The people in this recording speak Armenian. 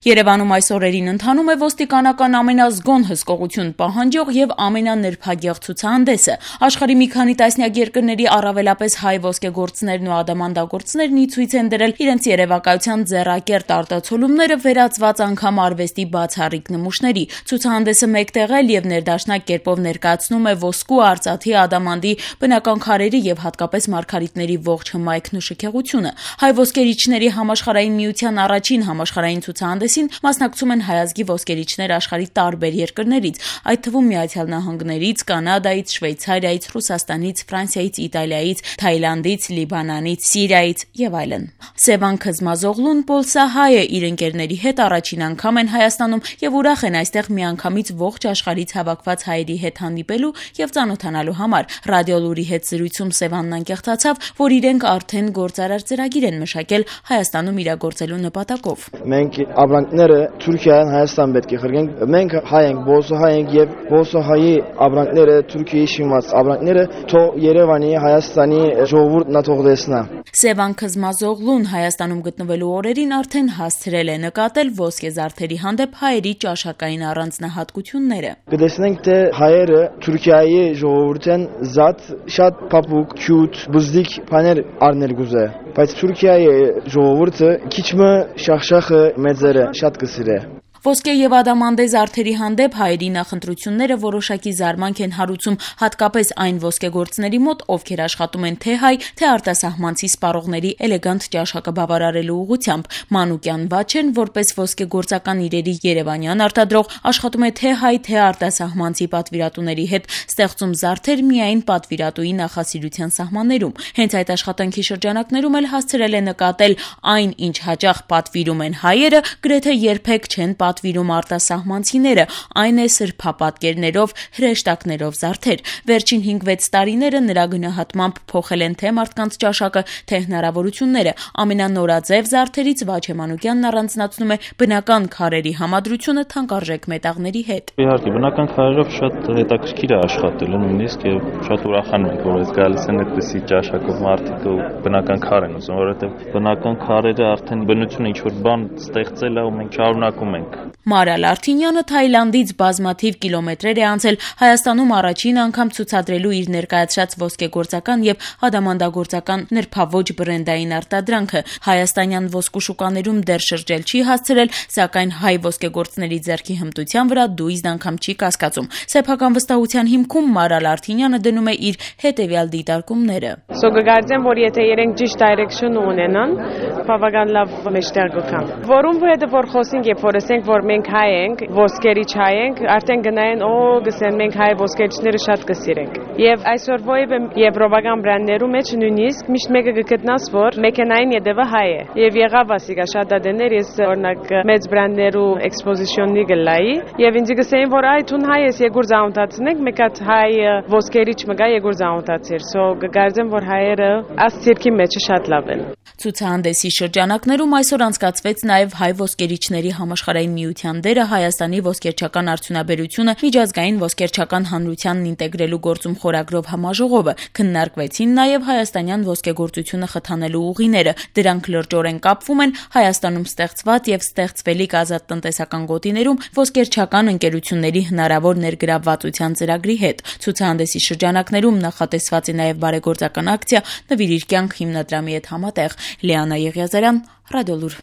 Երևանում այս օրերին ընթանում է ոստիկանական ամենազգոն հսկողություն պահանջող եւ ամենանրբագեղ ցուցահանդեսը։ Աշխարհի մի քանի տասնյակ երկրների առավելապես հայ ոսկեգործներն ու ադամանդագործներն ի ցույց են դրել իրենց երևակայության ձեռակերտ արտացոլումները վերածված անգամ արվեստի բացառիկ նմուշների։ Ցուցահանդեսը մեկտեղել եւ ներդաշնակ կերպով ներկայացնում է ոսկու, արծաթի, ադամանդի, բնական քարերի եւ հատկապես մարգարիտների ողջ հմայքն ու շքեղությունը։ Հայ ոսկերիչների համաշխարհային միության առաջին համաշխարհային ցուցահանդեսին մասնակցում են հայազգի ոսկերիչներ աշխարհի տարբեր երկրներից, այդ թվում Միացյալ Նահանգներից, Կանադայից, Շվեյցարիայից, Ռուսաստանից, Ֆրանսիայից, Իտալիայից, Թայլանդից, Լիբանանից, Սիրիայից եւ այլն։ Սևան Քզմազօղլուն պոլսահայ է, իր ընկերների հետ առաջին անգամ են Հայաստանում եւ ուրախ են այստեղ միանգամից ողջ աշխարհից հավաքված հայերի հետ հանդիպելու եւ ծանոթանալու համար։ Ռադիո Լուրի հետ զրույցում Սևանն անկեղծացավ, որ իրենք արդեն գործարար ծրագիր են մշակել Հայաստանում իրագործելու նպատակով։ Մենք ապրանքները Թուրքիայից Հայաստան պետք է խրգենք։ Մենք հայ ենք, բոսոհայ ենք եւ բոսոհայի ապրանքները Թուրքիայի շիմաց ապրանքները թող Երևանի, Հայաստանի ժողովուրդն թող տեսնա։ Սևան Քզմազօղլուն Հայաստանում գտնվելու օրերին արդեն հասցրել է նկատել ոսկեզարդերի հանդեպ հայերի ճաշակային առանձնահատկությունները։ Կտեսնենք, թե հայերը Թուրքիայի ժողովուրդեն զատ շատ փափուկ, քյութ, բզդիկ բաներ առնել գուզե, բայց Թուրքիայի ժողովուրդը քիչ մը շախշախը մեծերը շատ կսիրե։ Ոսկե եւ ադամանդե զարդերի հանդեպ հայերի նախընտրությունները որոշակի զարմանք են հարուցում հատկապես այն ոսկեգործների մոտ, ովքեր աշխատում են թե հայ, թե արտասահմանցի սպառողների էլեգանտ ճաշակը բավարարելու ուղղությամբ։ Մանուկյան Վաչեն, որպես ոսկեգործական իրերի երևանյան արտադրող, աշխատում է թե հայ, թե արտասահմանցի պատվիրատուների հետ, ստեղծում զարդեր միայն պատվիրատուի նախասիրության սահմաններում։ Հենց այդ աշխատանքի շրջանակներում էլ հասցրել է նկատել այն, ինչ հաճախ պատվիրում են հայերը, գրեթե երբեք չեն պատվիրում արտասահմանցիները, այն է սրբապատկերներով, հրեշտակներով զարդեր։ Վերջին 5-6 տարիները նրա գնահատմամբ փոխել են թե մարդկանց ճաշակը, թե հնարավորությունները։ Ամենանորաձև զարդերից Վաչե Մանուկյանն առանձնացնում է բնական քարերի համադրությունը թանկարժեք մետաղների հետ։ Իհարկե, բնական քարերով շատ հետաքրքիր է աշխատել, նույնիսկ եւ շատ ուրախանում ենք, որ այս գալիս են այդպիսի ճաշակով մարդիկ ու բնական քար են ուզում, որովհետեւ բնական քարերը արդեն բնությունը ինչ որ բան ստեղծել է ու մենք շարունակում ենք։ Մարալ Արթինյանը Թայլանդից բազմաթիվ կիլոմետրեր է անցել Հայաստանում առաջին անգամ ցուցադրելու իր ներկայացրած ոսկեգործական եւ ադամանդագործական նրբավոճ բրենդային արտադրանքը։ Հայաստանյան ոսկու շուկաներում դեռ շրջել չի հասցրել, սակայն հայ ոսկեգործների ձեռքի հմտության վրա դույզն անգամ չի կասկածում։ Սեփական վստահության հիմքում Մարալ Արթինյանը դնում է իր հետեւյալ դիտարկումները։ Կգարձեմ, որ եթե իրենք ճիշտ դայրեկշն ունենան, բավական լավ մեջտեղ գտան։ Որում հետո որ խոսենք, երբ որ ասենք, որ մենք հայ ենք, ոսկերիչ հայ ենք, արդեն գնային, գսեն մենք հայ ոսկերիչները շատ կսիրենք։ Եվ այսօր ովը եվրոպական բրենդներում մեջ նույնիսկ միշտ մեկը կգտնաս, որ մեքենային յետևը հայ է։ Եվ եղավ ասիկա շատ դեներ, ես օրինակ մեծ բրենդներու էքսպոզիցիոնի գլայի, եւ ինձ գսեին, որ այ թուն հայ ես եկուր զանոթացնենք, մեկ հատ հայ ոսկերիչ մգա եկուր զանոթացիր։ Կգարձեմ, որ հայերը աս ցիրկի մեջը շատ լավ են։ Ցուցահանդեսի շրջանակներում այսօր անցկացվեց նաև հայ ոսկերիչների համաշխարհային միության դերը Հայաստանի ոսկերչական արդյունաբերությունը միջազգային ոսկերչական հանրությանն ինտեգրելու գործում խորագրով համաժողովը։ Քննարկվեցին նաև հայաստանյան ոսկեգործությունը խթանելու ուղիները։ Դրանք լրջորեն կապվում են Հայաստանում ստեղծված եւ ստեղծվելիք ազատ տնտեսական գոտիներում ոսկերչական ընկերությունների հնարավոր ներգրավվածության ծրագրի հետ։ Ցուցահանդեսի շրջանակներում նախատեսված է նաև բարեգործական ակցիա «Նվիրիր կյանք» հիմնադրամի հետ համատեղ։ Լիանա Եղիազարյան, Ռադիո Լուր։